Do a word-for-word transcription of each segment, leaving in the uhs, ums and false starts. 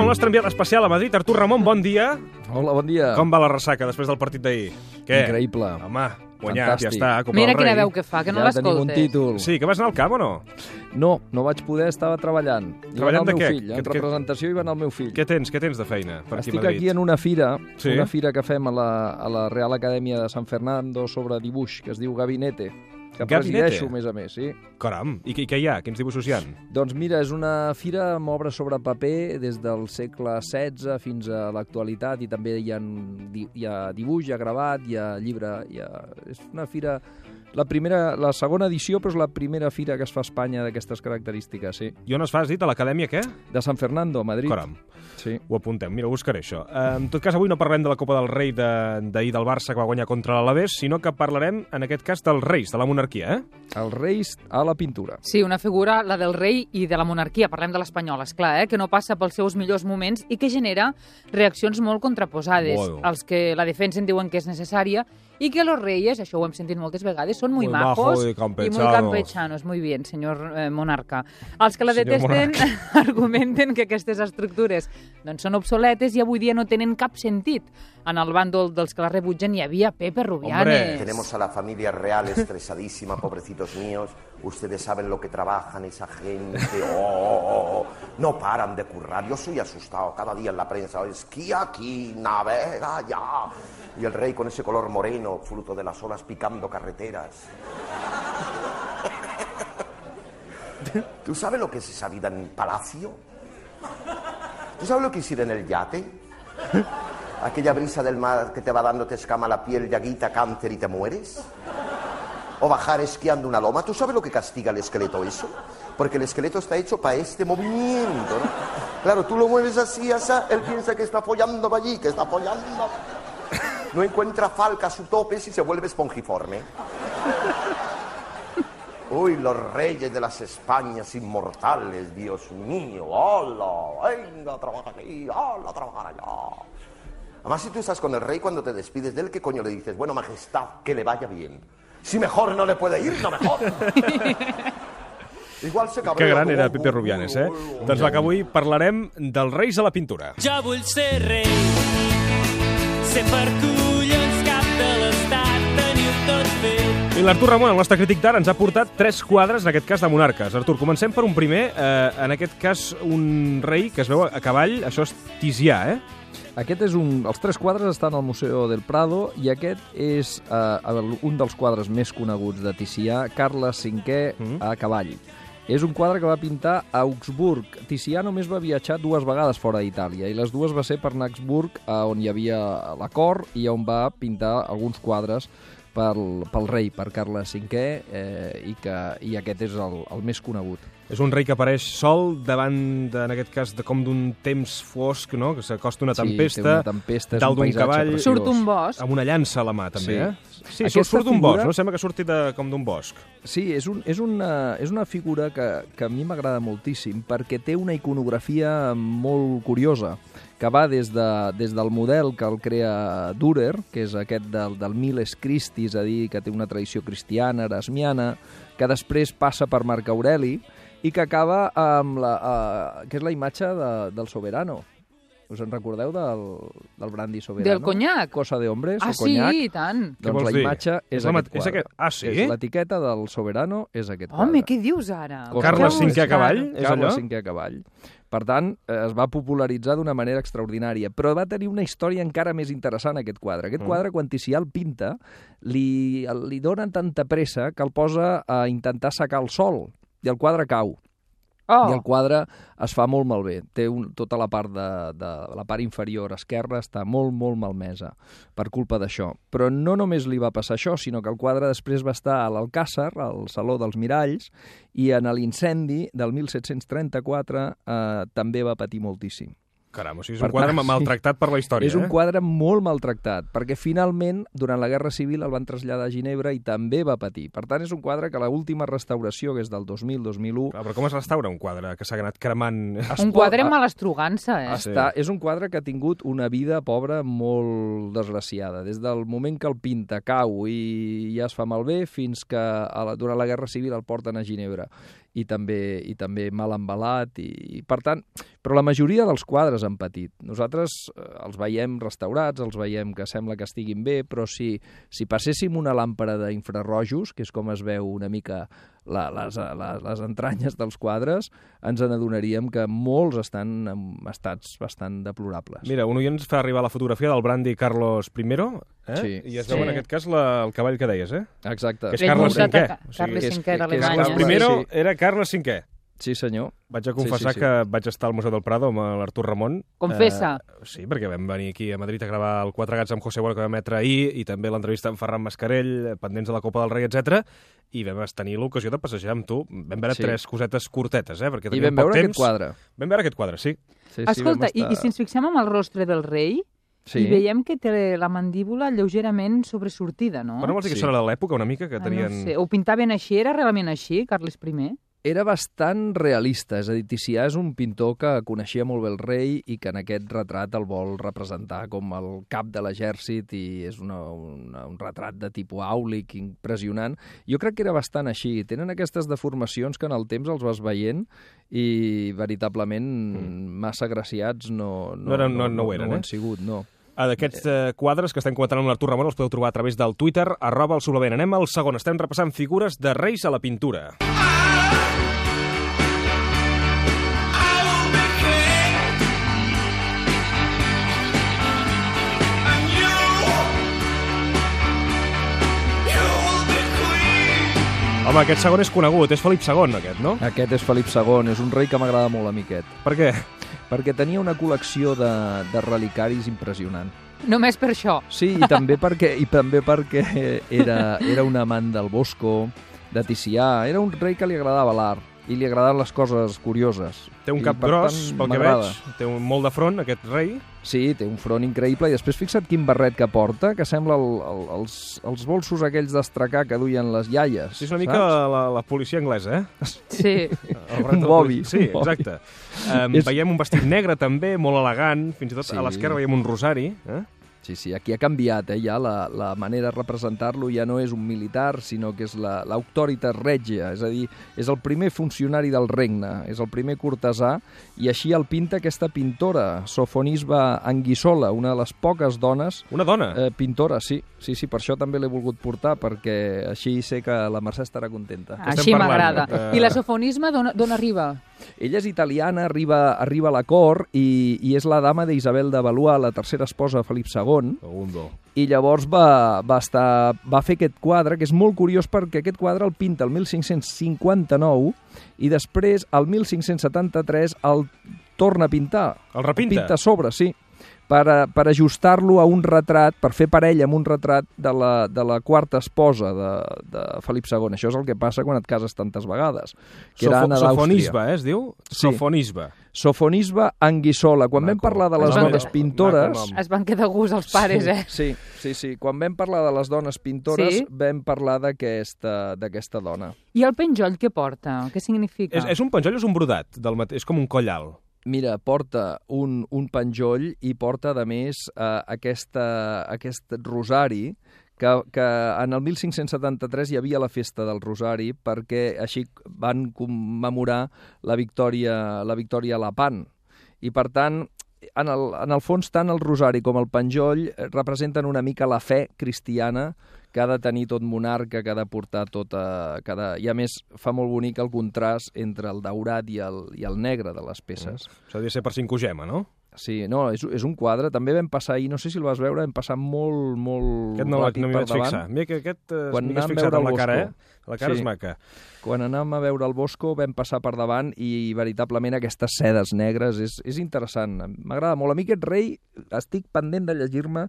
el nostre enviat especial a Madrid, Artur Ramon, bon dia. Hola, bon dia. Com va la ressaca després del partit d'ahir? Què? Increïble. Home, guanyat, Fantàstic. ja està, Copa Mira del Rei. quina veu que fa, que no Ja tenim un l'escoltes. títol. Sí, que vas anar al camp o no? No, no vaig poder, estava treballant. I Treballant va anar de el meu què? fill. Què- En què- representació hi va anar el meu fill. Què tens, què tens de feina per aquí a Estic Madrid? aquí en una fira, Sí? una fira que fem a la, a la Real Acadèmia de San Fernando sobre dibuix, que es diu Gabinete, que Gabinete? presideixo, a més a més, sí. Caram, i què, què hi ha? Quins dibuixos hi ha? Doncs mira, és una fira amb obres sobre paper des del segle setze fins a l'actualitat, i també hi ha, di- hi ha dibuix, hi ha gravat, hi ha llibre, hi ha... és una fira... La, primera, la segona edició, però és la primera fira que es fa a Espanya d'aquestes característiques, sí. I on es fa, has dit? A l'acadèmia què? De San Fernando, a Madrid. Caram, Sí. ho apuntem. Mira, ho buscaré, això. Eh, en tot cas, avui no parlem de la Copa del Rei de- d'ahir del Barça que va guanyar contra l'Alavés, sinó que parlarem, en aquest cas, dels Reis, de la monarquia, eh? Els reis a la pintura. Sí, una figura, la del rei i de la monarquia, parlem de l'espanyol, esclar, eh? Que no passa pels seus millors moments i que genera reaccions molt contraposades. Bueno. Els que la defensen diuen que és necessària i que los reyes, això ho hem sentit moltes vegades, són muy, Muy majos majos y y muy campechanos. campechanos. Muy bien, senyor eh, monarca. Els que la Senyor detesten argumenten que aquestes estructures doncs, són obsoletes i avui dia no tenen cap sentit. En el bàndol dels que la rebutgen hi havia Pepe Rubianes. Hombre. Tenemos a la familia real estresadísima, pobrecitos míos. Ustedes saben lo que trabajan esa gente. Oh, oh, oh. No paran de currar. Yo soy asustado cada día en la prensa. Esquía aquí, navega allá. Y el rey con ese color moreno, fruto de las olas, picando carreteras. ¿Tú sabes lo que es esa vida en palacio? ¿Tú sabes lo que es ir en el yate? Aquella brisa del mar que te va dando, te escama la piel, llaguita, cáncer y te mueres. O bajar esquiando una loma. ¿Tú sabes lo que castiga el esqueleto eso? Porque el esqueleto está hecho para este movimiento, ¿no? Claro, tú lo mueves así, así, él piensa que está follando para allí, que está follando. No encuentra falca a su tope si se vuelve espongiforme. Uy, los reyes de las Españas inmortales, Dios mío. ¡Hola! Venga a trabajar aquí, ¡hola a trabajar allá! Además, si tú estás con el rey, cuando te despides de él, ¿qué coño le dices? Bueno, majestad, que le vaya bien. Si mejor no le puede ir, no mejor. Igual se cabrea. Que gran com era un- Pepe Rubianes, eh? Doncs va, que avui parlarem dels Reis a la pintura. Jo vull ser rei, ser per collons cap de l'estat, teniu tot fet. I l'Artur Ramon, el nostre crític d'art, ens ha portat tres quadres, en aquest cas de monarques. Artur, comencem per un primer, eh, en aquest cas un rei que es veu a cavall, això és Ticià, eh? Aquest és un... Els tres quadres estan al Museu del Prado i aquest és eh, el- un dels quadres més coneguts de Ticià, Carles cinquè Mm. a cavall. És un quadre que va pintar a Augsburg. Ticià només va viatjar dues vegades fora d'Itàlia i les dues va ser per anar a Augsburg, eh, on hi havia la cort i on va pintar alguns quadres pel, pel rei, per Carles cinquè, eh, i, que, i aquest és el, el més conegut. És un rei que apareix sol davant, de, en aquest cas, de com d'un temps fosc, no? Que s'acosta una Sí, tempesta, té una tempesta, és dalt un d'un paisatge cavall, preciós. Surt un bosc. amb una llança a la mà, també, Sí. eh? Sí, Aquesta surt, surt d'un figura- bosc, no? Sembla que surti de, com d'un bosc. Sí, és, un, és, una, és una figura que, que a mi m'agrada moltíssim perquè té una iconografia molt curiosa que va des, de, des del model que el crea Dürer, que és aquest del, del Miles Christi, és a dir, que té una tradició cristiana, erasmiana, que després passa per Marc Aureli i que acaba amb la, uh, que és la imatge de, del Soberano. Us en recordeu del, del brandy Soberano? Del conyac. Cosa de hombres Ah, o sí, conyac. i tant. Què Doncs vols la dir? imatge és, És la aquest mat- és quadre. aquest- ah, sí? És l'etiqueta del Soberano, és aquest quadre. Home, què dius ara? Cosa Carles de hombres. cinquè a cavall, és Carles allò? cinquè a cavall. Per tant, eh, es va popularitzar d'una manera extraordinària, però va tenir una història encara més interessant, aquest quadre. Aquest Mm. quadre, quan Ticià el pinta, li, li donen tanta pressa que el posa a intentar secar el sol, i el quadre cau. Oh, I el quadre es fa molt malbé. Té un, tota la part, de, de, la part inferior esquerra està molt, molt malmesa per culpa d'això. Però no només li va passar això, sinó que el quadre després va estar a l'Alcàsser, al Saló dels Miralls, i en l'incendi del disset trenta-quatre eh, també va patir moltíssim. Caram, o sigui, és Per un quadre tant, sí. maltractat per la història, És un eh? quadre molt maltractat, perquè finalment, durant la Guerra Civil, el van traslladar a Ginebra i també va patir. Per tant, és un quadre que l'última restauració, que és del dos mil dos mil u, Clar, però com es restaura un quadre que s'ha anat cremant? un quadre amb malastrugança, eh? Sí. Està, és un quadre que ha tingut una vida pobra molt desgraciada. Des del moment que el pinta, cau i ja es fa malbé, fins que a la, durant la Guerra Civil el porten a Ginebra. i també, i també mal embalat, i, i per tant, però la majoria dels quadres han patit. Nosaltres eh, els veiem restaurats, els veiem que sembla que estiguin bé, però si, si passéssim una làmpara d'infrarrojos, que és com es veu una mica la, les, les, les entranyes dels quadres, ens n'adonaríem que molts estan en estats bastant deplorables. Mira, un oient ens fa arribar la fotografia del brandy Carlos I, eh? Sí. I es veu Sí. en aquest cas la, el cavall que deies, eh? Exacte. Que és Vell Carles muntat cinquè. a- O sigui, Carles és- cinquè que és d'Alemanya. Carles Carles I Sí. era Carles cinquè. Sí, senyor. Vaig a confessar sí, sí. que vaig estar al Museu del Prado amb l'Artur Ramon. Confessa. Eh, sí, perquè vam venir aquí a Madrid a gravar el Quatre gats amb José Bueno que vam emetre ahir i també l'entrevista amb Ferran Mascarell, pendents de la Copa del Rei, etcètera. I vam tenir l'ocasió de passejar amb tu. Vam veure Sí. tres cosetes curtetes, eh? Perquè I teníem vam poc veure temps. aquest quadre. Vam veure aquest quadre, sí. Sí, Escolta, sí, i, vam i si ens fixem en el rostre del rei, Sí. i veiem que té la mandíbula lleugerament sobresortida, no? Però no vols dir que Sí. això era de l'època una mica, que Ah, tenien... no sé. Ho pintaven així? Era realment així, Carles I? Era bastant realista, és a dir, Ticià és un pintor que coneixia molt bé el rei i que en aquest retrat el vol representar com el cap de l'exèrcit i és una, una, un retrat de tipus àulic impressionant. Jo crec que era bastant així. Tenen aquestes deformacions que en el temps els vas veient i veritablement massa agraciats no, No eren- no- no ho eren, no ho eh? han sigut, no. Ah, D'aquests eh, quadres que estem comentant amb l'Artur Ramon els podeu trobar a través del Twitter, arroba el suplement. Anem al segon. Estem repassant figures de reis a la pintura. Home, aquest segon és conegut, és Felip segon, aquest, no? Aquest és Felip segon, és un rei que m'agrada molt a mi aquest, Per què? perquè tenia una col·lecció de, de relicaris impressionant. Només per això. Sí, i també perquè, i també perquè era, era un amant del Bosco, de Ticià, era un rei que li agradava l'art i li agradaven les coses curioses. Té un I, cap per gros, tant, pel que m'agrada. veig, té un molt de front, aquest rei. Sí, té un front increïble i després fixa't quin barret que porta, que sembla el, el, els, els bolsos aquells d'astracar que duien les iaies. Sí, és una mica saps? la, la policia anglesa, eh? Sí. El barret Un de la bobi, policia. Sí, un bobi. exacte. Um, És- Veiem un vestit negre també, molt elegant, fins i tot Sí. a l'esquerra veiem un rosari. Eh? Sí, sí, aquí ha canviat, eh, ja la, la manera de representar-lo ja no és un militar, sinó que és la- l'autoritas regia, és a dir, és el primer funcionari del regne, és el primer cortesà, i així el pinta aquesta pintora, Sofonisba Anguissola, una de les poques dones Una dona. eh, pintora, sí, sí, sí, per això també l'he volgut portar, perquè així sé que la Mercè estarà contenta. estem Així parlant? m'agrada. Eh, I l'asofonisme d'on arriba? Ella és italiana, arriba, arriba a la cort i, i és la dama d'Isabel de Valois, la tercera esposa de Felip segon, Segundo. i llavors va, va, estar, va fer aquest quadre, que és molt curiós perquè aquest quadre el pinta el mil cinc-cents cinquanta-nou i després, el mil cinc-cents setanta-tres, el torna a pintar. El repinta? Pinta a sobre, sí, per, a- per ajustar-lo a un retrat, per fer parella amb un retrat de la, de la quarta esposa de, de Felip segon. Això és el que passa quan et cases tantes vegades. Que era Sofo Anna d'Àustria. Sofonisba, eh, es diu? Sí. Sofonisba. Sofonisba Anguissola. Quan vam Maco. parlar de les Maco. dones Maco pintores... nom. Es van quedar gust els pares, eh? Sí, sí, sí. Quan vam parlar de les dones pintores, Sí? vam parlar d'aquesta d'aquesta dona. I el penjoll què porta? Què significa? És, és un penjoll o és un brodat? Del mate... És com un coll alt. Mira, porta un, un penjoll i porta, a més, eh, aquesta, aquest rosari que, que en el mil cinc-cents setanta-tres hi havia la festa del Rosari perquè així van commemorar la victòria, la victòria a Lepant. I, per tant, en el, en el fons, tant el Rosari com el penjoll eh, representen una mica la fe cristiana que ha de tenir tot monarca, que ha de portar tota... Que ha de... I, a més, fa molt bonic el contrast entre el daurat i el, i el negre de les peces. Mm. Això hauria de ser per cinco gema, no? Sí, no, és, és un quadre. També vam passar ahir, no sé si el vas veure, vam passar molt, molt Aquest no, ràpid no m'hi per vaig davant. fixar. Mira que aquest eh, Quan m'hi has anàvem fixat a veure amb la el cara, eh? Bosco. La cara Sí. és maca. Quan anàvem a veure el Bosco vam passar per davant i veritablement aquestes sedes negres és, és interessant. M'agrada molt. A mi aquest rei estic pendent de llegir-me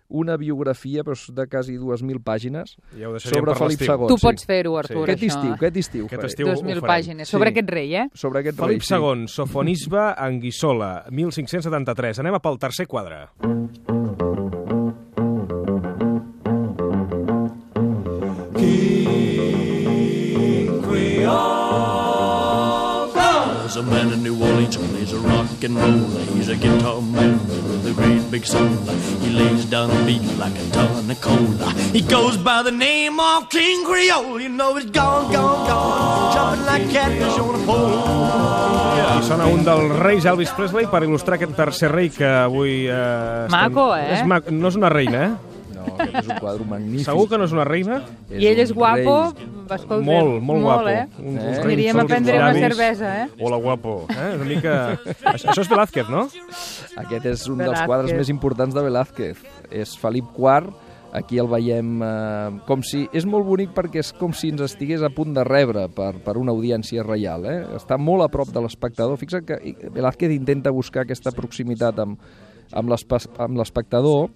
una biografia però de quasi dues mil pàgines Ja ho deixaríem sobre per Felip l'estiu. segon. Tu sí. pots fer-ho, Artur, Aquest això. estiu, aquest estiu. Aquest faré. estiu Dos ho mil farem. pàgines. Sobre Sí. aquest rei, eh? Sobre aquest Felip rei, sí. segon, Sofonisba Anguissola, mil cinc-cents setanta-tres. Anem a pel tercer quadre. There's a man in New Orleans who plays a rock and roll. He's a guitar man with a great big soul. He lays down a beat like a ton of cola. He goes by the name of King Creole. You know he's gone, gone, gone, jumping like catfish on a pole. I sona un dels reis Elvis Presley per il·lustrar aquest tercer rei que avui... Eh, Maco, eh? És maco. No és una reina, eh? No, aquest és un quadre magnífic. Segur que no és una reina? I ell és guapo, escolta. Molt, molt guapo. Eh? Un, Eh? Aniríem a prendre una cervesa, eh? Hola, guapo. Eh? Una mica... Això és Velázquez, no? Aquest és un dels Velázquez. quadres més importants de Velázquez. És Felip quart, aquí el veiem eh, com si... És molt bonic perquè és com si ens estigués a punt de rebre per, per una audiència reial. Eh? Està molt a prop de l'espectador. Fixa't que Velázquez intenta buscar aquesta proximitat amb, amb l'espectador.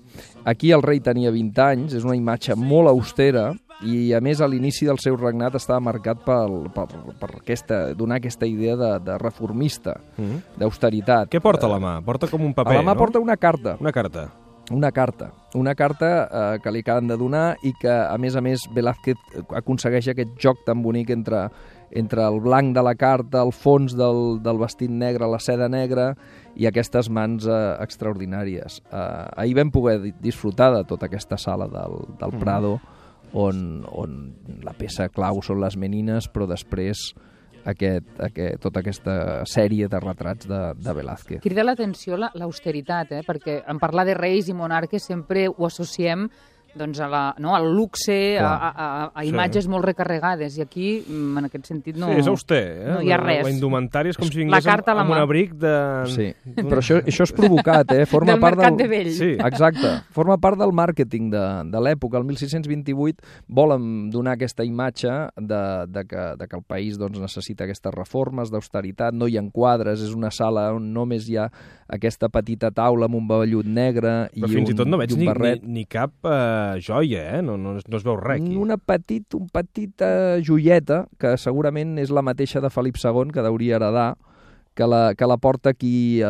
Aquí el rei tenia vint anys, és una imatge molt austera i, a més, a l'inici del seu regnat estava marcat per, per, per aquesta, donar aquesta idea de, de reformista, mm. d'austeritat. Què porta a la mà? Porta com un paper, A la mà no? porta una carta. Una carta. Una carta, una carta eh, que li acaben de donar i que, a més a més, Velázquez aconsegueix aquest joc tan bonic entre, entre el blanc de la carta, el fons del, del vestit negre, la seda negra i aquestes mans eh, extraordinàries. Eh, ahir vam poder disfrutar de tota aquesta sala del, del Prado, on, on la peça clau són les menines, però després aquest, aquest, tota aquesta sèrie de retrats de, de Velázquez. Crida l'atenció la- l'austeritat, eh? Perquè en parlar de reis i monarques sempre ho associem doncs, a la, no, al luxe, a, Clar. a, a, a Sí. imatges molt recarregades, i aquí, mm, en aquest sentit, no... Sí, és auster, eh? no hi ha La- res. La indumentària és com si La vingués carta a la amb, amb un mà. abric de... Sí, però això, això és provocat, eh? Forma Del part mercat del... de vell. Sí. Exacte. Forma part del màrqueting de, de l'època. El mil sis-cents vint-i-vuit volen donar aquesta imatge de, de, que, de que el país doncs, necessita aquestes reformes d'austeritat, no hi ha quadres, és una sala on només hi ha aquesta petita taula amb un vellut negre i Però fins un, i tot no veig i un ni, ni, barret. ni cap uh, joia, eh? No, no, no es veu res aquí. Una petit, un petita joieta, que segurament és la mateixa de Felip segon, que deuria heredar, que la, que la porta aquí eh,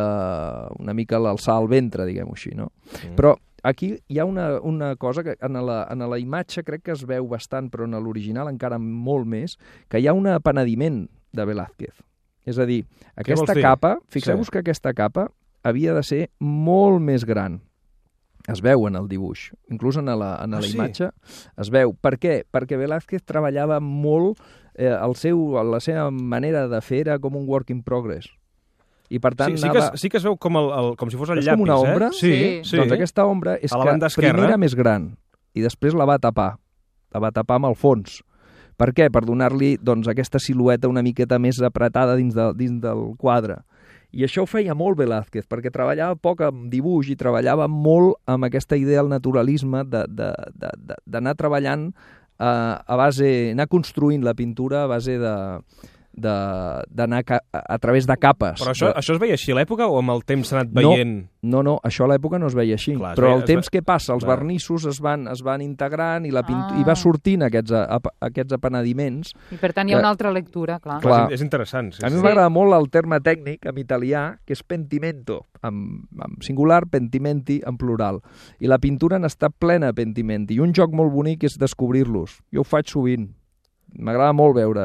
una mica a l'alçar al ventre, diguem-ho així, no? Mm. Però aquí hi ha una, una cosa que en la, en la imatge crec que es veu bastant, però en l'original encara molt més, que hi ha un apenediment de Velázquez. És a dir, aquesta vols dir? capa, fixeu-vos Sí. que aquesta capa havia de ser molt més gran. Es veu en el dibuix, inclús en la, en Ah, la sí? imatge es veu. Per què? Perquè Velázquez treballava molt, eh, el seu, la seva manera de fer era com un work in progress. I per tant Sí, sí, que anava... es, sí que es veu com, el, el, com si fos el És llapis, com una ombra? eh? Sí, Sí. sí. Doncs aquesta ombra és A la que banda esquerra. primer era més gran i després la va tapar. La va tapar amb el fons. Per què? Per donar-li doncs, aquesta silueta una miqueta més apretada dins, de, dins del quadre. I això ho feia molt Velázquez, perquè treballava poc amb dibuix i treballava molt amb aquesta idea del naturalisme, de- de- de- de- d'anar treballant eh, a base, anar construint la pintura a base de de- d'anar ca- a, a través de capes. Però això, de... això es veia així a l'època o amb el temps s'ha anat No. veient? No, no, això a l'època no es veia així. Clar, es però veia- el es temps ve- que passa, els Clar. vernissos es van, es van integrant i, la pintu... Ah. i va sortint aquests, a, a, aquests apenediments. I per tant hi ha Que- una altra lectura, clar. Clar. És, és interessant. Sí, A mi sí. m'agrada molt el terme tècnic en italià, que és pentimento, en, en singular, pentimenti en plural. I la pintura n'està plena de pentimenti. I un joc molt bonic és descobrir-los. Jo ho faig sovint. M'agrada molt veure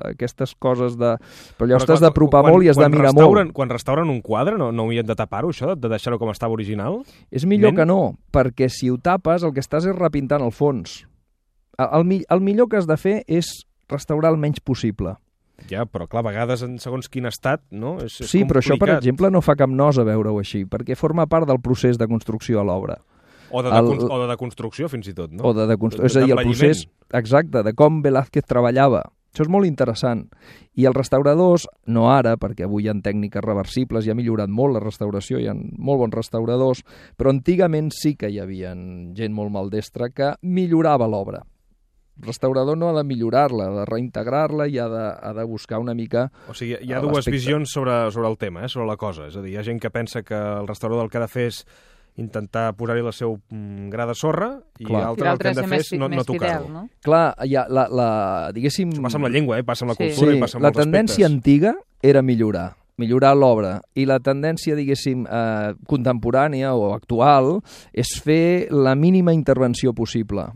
aquestes coses de... Però allò Però estàs clar, d'apropar quan- molt i has de quan mirar restauren, molt. Quan restauren un quadre, no, no haurien de tapar-ho, això, de deixar-ho com estava original? És millor Ment? que no, perquè si ho tapes el que estàs és repintant el fons. El, el, mi- el millor que has de fer és restaurar el menys possible. Ja, però clar, a vegades en segons quin estat, no? És, és Sí, però això, per complicat. exemple, no fa cap nosa veure-ho així, perquè forma part del procés de construcció a l'obra. O de, el- de, o de deconstrucció, fins i tot, no? O de, de constru... És a dir, el procés exacte de com Velázquez treballava. Això és molt interessant. I els restauradors, no ara, perquè avui hi ha tècniques reversibles i ha millorat molt la restauració, hi ha molt bons restauradors, però antigament sí que hi havia gent molt maldestra que millorava l'obra. El restaurador no ha de millorar-la, ha de reintegrar-la i ha de, ha de buscar una mica... O sigui, hi ha a dues l'aspecte. visions sobre, sobre el tema, eh, sobre la cosa. És a dir, hi ha gent que pensa que el restaurador el que ha de fer és intentar posar-hi la seu mm, gra de sorra i Clar. I l'altre el l'altre que hem de ser fer més, és no, més no tocar-ho. fidel, no? Clar, hi ha la, la, diguéssim... Això passa amb la llengua, eh? Passa amb la Sí. cultura Sí, i passa amb la molts tendència aspectes. antiga era millorar, millorar l'obra, i la tendència, diguéssim, eh, contemporània o actual és fer la mínima intervenció possible.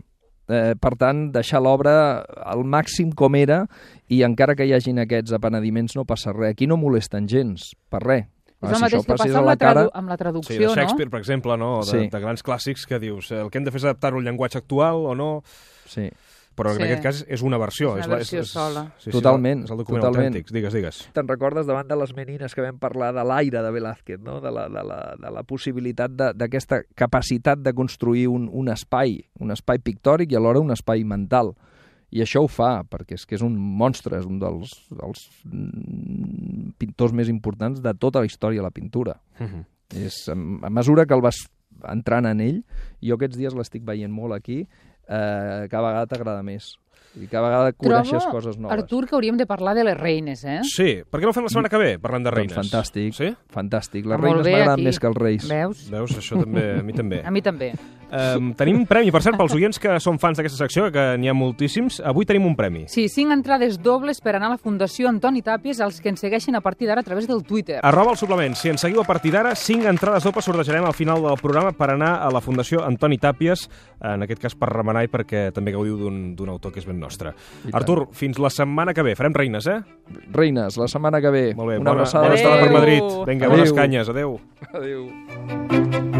Eh, per tant, deixar l'obra al màxim com era i encara que hi hagin aquests apenediments no passa res. Aquí no molesten gens, per res. És el mateix que passa amb la, tradu amb la traducció, sí, de Shakespeare, no? per exemple, no? De, sí. de grans clàssics que dius, el que hem de fer és adaptar-ho al llenguatge actual o no... Sí. Però en sí. aquest cas és una versió. És una versió és, és, sola. Sí, sí, totalment. És el document totalment. autèntic. Digues, digues. Te'n recordes davant de les menines que vam parlar de l'aire de Velázquez, no? de, la, de, la, de la possibilitat d'aquesta capacitat de construir un, un espai, un espai pictòric i alhora un espai mental. I això ho fa, perquè és que és un monstre, és un dels, dels pintors més importants de tota la història de la pintura. Uh-huh. És, a mesura que el vas entrant en ell, jo aquests dies l'estic veient molt aquí, eh, cada vegada t'agrada més. I cada vegada coneixes Trobo, coses noves. Artur, que hauríem de parlar de les reines, eh? Sí, per què no ho fem la setmana que ve, parlant de reines? Doncs fantàstic, sí? fantàstic. Les Ah, reines m'agraden més que els reis. Veus? Veus? Això també, a mi també. A mi també. Um, tenim un premi, per cert, pels oients que són fans d'aquesta secció, que n'hi ha moltíssims. Avui tenim un premi. Sí, cinc entrades dobles per anar a la Fundació Antoni Tàpies, als que ens segueixin a partir d'ara a través del Twitter. Arroba el suplement. Si ens seguiu a partir d'ara, cinc entrades dobles sortejarem al final del programa per anar a la Fundació Antoni Tàpies, en aquest cas per remenar i perquè també gaudiu d'un autor que és ben nostre. Artur, fins la setmana que ve. Farem reines, eh? Reines, la setmana que ve. Molt bé, una bona, abraçada. bona estada per Madrid. Vinga, Adeu. bones canyes. Adéu. Adéu.